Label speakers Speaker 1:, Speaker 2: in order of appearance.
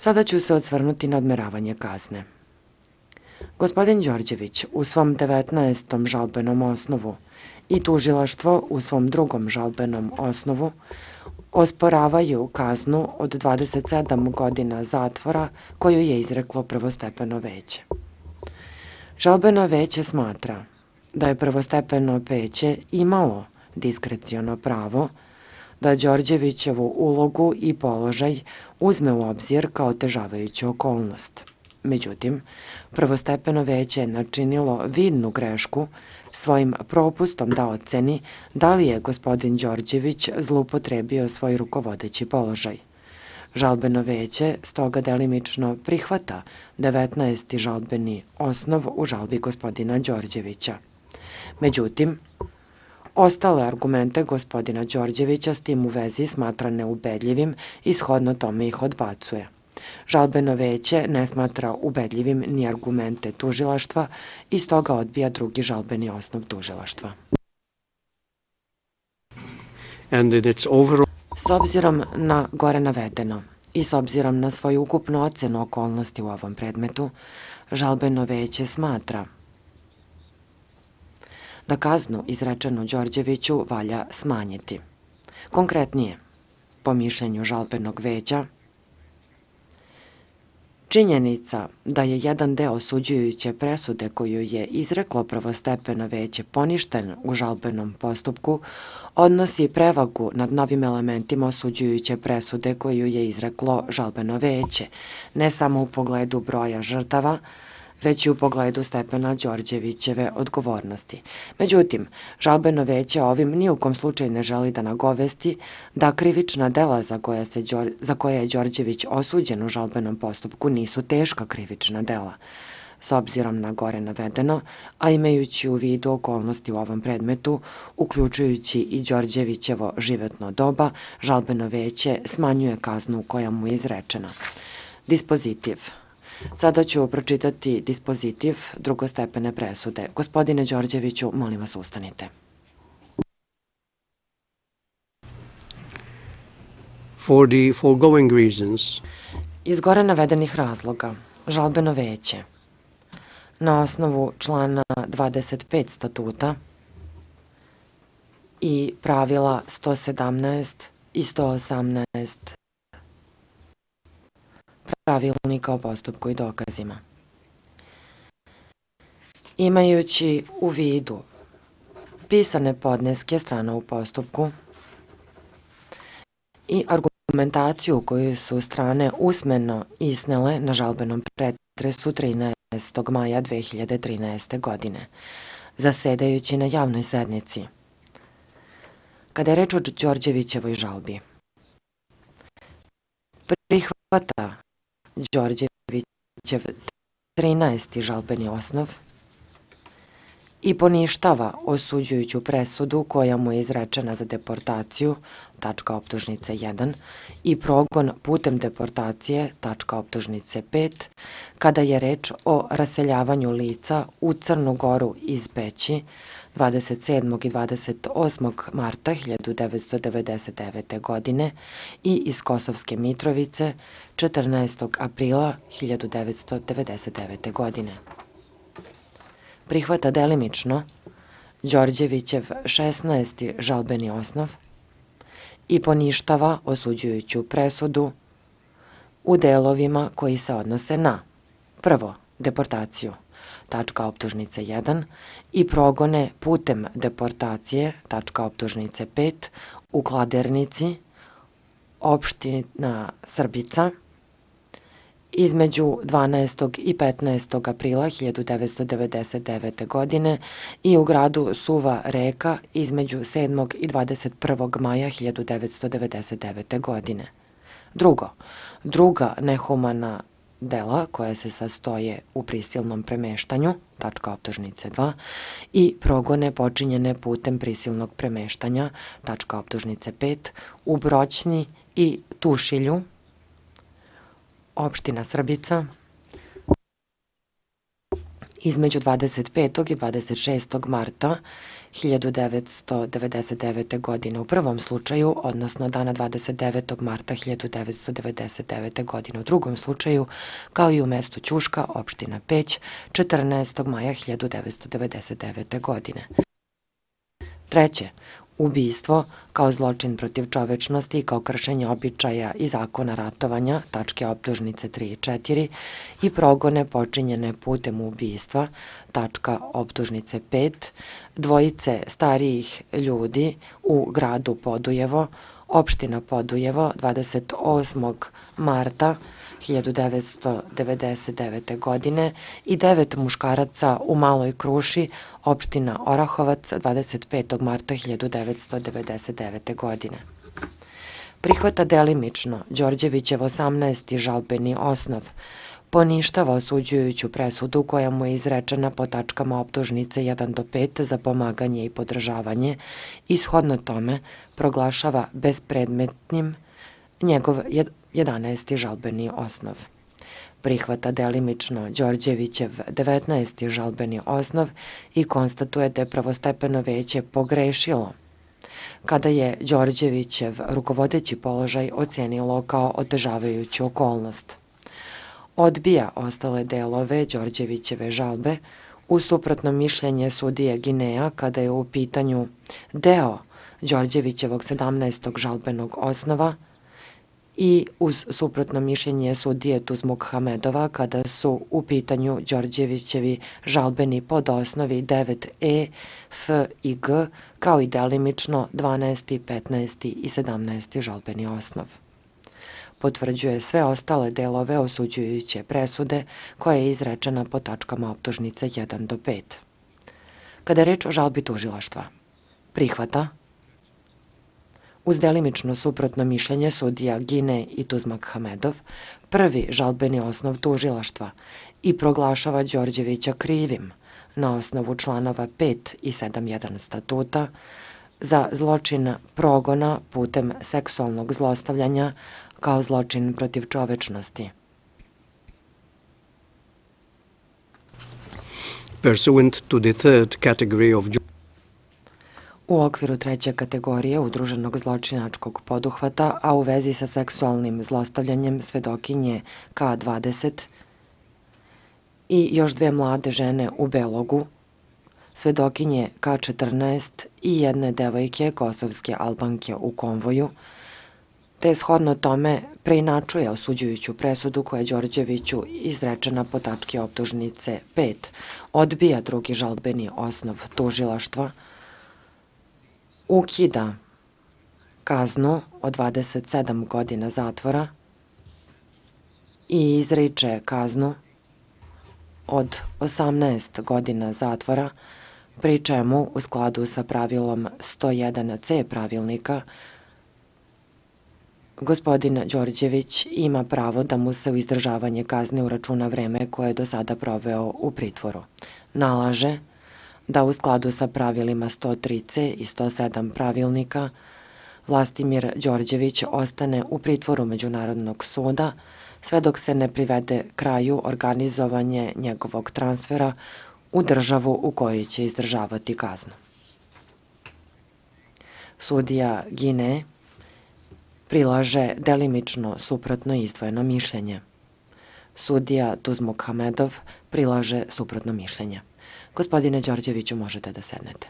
Speaker 1: Sada ću se osvrnuti na odmeravanje kazne. Gospodin Đorđević u svom 19. žalbenom osnovu i tužilaštvo u svom 2. žalbenom osnovu osporavaju kaznu od 27 godina zatvora koju je izreklo prvostepeno veće. Žalbeno veće smatra da je prvostepeno veće imalo diskreciono pravo da Đorđevićevu ulogu i položaj uzme u obzir kao otežavajuću okolnost. Međutim, prvostepeno veće je načinilo vidnu grešku svojim propustom da oceni da li je gospodin Đorđević zloupotrebio svoj rukovodeći položaj. Žalbeno veće stoga delimično prihvata 19. žalbeni osnov u žalbi gospodina Đorđevića. Međutim, ostale argumente gospodina Đorđevića s tim u vezi smatra neubedljivim i shodno tome ih odbacuje. Žalbeno veće ne smatra ubedljivim ni argumente tužilaštva i stoga odbija 2. žalbeni osnov tužilaštva. S obzirom na gore navedeno i s obzirom na svoju ukupnu ocenu okolnosti u ovom predmetu, žalbeno veće smatra da kaznu izrečenu Đorđeviću valja smanjiti. Konkretnije, po mišljenju žalbenog veća, činjenica da je jedan deo osuđujuće presude koju je izreklo prvostepeno veće poništen u žalbenom postupku odnosi prevagu nad novim elementima osuđujuće presude koju je izreklo žalbeno veće, ne samo u pogledu broja žrtava, već i u pogledu stepena Đorđevićeve odgovornosti. Međutim, žalbeno veće ovim ni u kom slučaju ne želi da nagovesti da krivična dela za koje je Đorđević osuđen u žalbenom postupku nisu teška krivična dela. S obzirom na gore navedeno, a imajući u vidu okolnosti u ovom predmetu, uključujući i Đorđevićevo životno doba, žalbeno veće smanjuje kaznu koja mu je izrečena. Dispozitiv. Sada ću pročitati dispozitiv drugostepene presude. Gospodine Đorđeviću, molim vas ustanite.
Speaker 2: For the foregoing reasons,
Speaker 1: iz gore navedenih razloga, žalbeno veće, na osnovu člana 25 statuta i pravila 117 i 118 pravilnika o postupku i dokazima. Imajući u vidu pisane podneske strana u postupku i argumentaciju koju su strane usmeno iznele na žalbenom pretresu 13. maja 2013. godine, zasedajući na javnoj sednici. Kada je reč o Đorđevićevoj žalbi, prihvata Đorđevićev 13. žalbeni osnov i poništava osuđujuću presudu koja mu je izrečena za deportaciju, tačka optužnice 1, i progon putem deportacije, tačka optužnice 5, kada je reč o raseljavanju lica u Crnu Goru iz Peći 27. i 28. marta 1999. godine i iz Kosovske Mitrovice 14. aprila 1999. godine. Prihvata delimično Đorđevićev 16. žalbeni osnov i poništava osuđujuću presudu u delovima koji se odnose na: prvo, deportaciju, tačka optužnice 1, i progone putem deportacije, tačka optužnice 5, u Kladernici, opština Srbica, između 12. i 15. aprila 1999. godine i u gradu Suva Reka između 7. i 21. maja 1999. godine. Drugo, druga nehumana dela koja se sastoje u prisilnom premeštanju, tačka optužnice 2, i progone počinjene putem prisilnog premeštanja, tačka optužnice 5, u Broćni i Tušilju, opština Srbica, između 25. i 26. marta 1999. godine u prvom slučaju, odnosno dana 29. marta 1999. godine u drugom slučaju, kao i u mestu Ćuška, opština Peć, 14. maja 1999. godine. Treće, ubistvo kao zločin protiv čovečnosti i kao kršenje običaja i zakona ratovanja, tačke optužnice 3 i 4, i progone počinjene putem ubistva, tačka optužnice 5, dvojice starijih ljudi u gradu Podujevo, opština Podujevo, 28. marta 1999. godine i 9 muškaraca u Maloj Kruši, opština Orahovac, 25. marta 1999. godine. Prihvata delimično Đorđevićev 18. žalbeni osnov, poništava osuđujuću presudu koja mu je izrečena po tačkama optužnice 1 do 5 za pomaganje i podržavanje i shodno tome proglašava bespredmetnim njegov 11. žalbeni osnov. Prihvata delimično Đorđevićev 19. žalbeni osnov i konstatuje da je prvostepeno veće pogrešilo kada je Đorđevićev rukovodeći položaj ocenilo kao otežavajuću okolnost. Odbija ostale delove Đorđevićeve žalbe uz suprotno mišljenje sudije Gineja kada je u pitanju deo Đorđevićevog 17. žalbenog osnova i uz suprotno mišljenje sudije Tuzmukhamedova kada su u pitanju Đorđevićevi žalbeni podosnovi 9e, f i g, kao i delimično 12., 15. i 17. žalbeni osnov. Potvrđuje sve ostale delove osuđujuće presude koja je izrečena po tačkama optužnice 1 do 5. Kada je reč o žalbi tužilaštva, prihvata uz delimično suprotno mišljenje sudija Gine i Tuzmukhamedov, prvi žalbeni osnov tužilaštva i proglašava Đorđevića krivim na osnovu članova 5 i 7.1 statuta za zločin progona putem seksualnog zlostavljanja kao zločin protiv čovečnosti.
Speaker 2: Pursuant to the third category of
Speaker 1: U okviru treće kategorije udruženog zločinačkog poduhvata, a u vezi sa seksualnim zlostavljanjem svedokinje K20 i još 2 mlade žene u Belogu, svedokinje K14 i jedne devojke kosovske Albanke u konvoju, te shodno tome preinačuje osuđujuću presudu koja je Đorđeviću izrečena po tački optužnice 5, odbija drugi žalbeni osnov tužilaštva, ukida kaznu od 27 godina zatvora i izriče kaznu od 18 godina zatvora, pri čemu u skladu sa pravilom 101c pravilnika gospodin Đorđević ima pravo da mu se u izdržavanje kazne uračuna vreme koje je do sada proveo u pritvoru. Nalaže da u skladu sa pravilima 103c i 107 pravilnika Vlastimir Đorđević ostane u pritvoru Međunarodnog suda sve dok se ne privede kraju organizovanje njegovog transfera u državu u kojoj će izdržavati kaznu. Sudija Gine prilaže delimično suprotno izdvojeno mišljenje. Sudija Tuzmukhamedov prilaže suprotno mišljenje. Gospodine Đorđeviću, možete da sednete.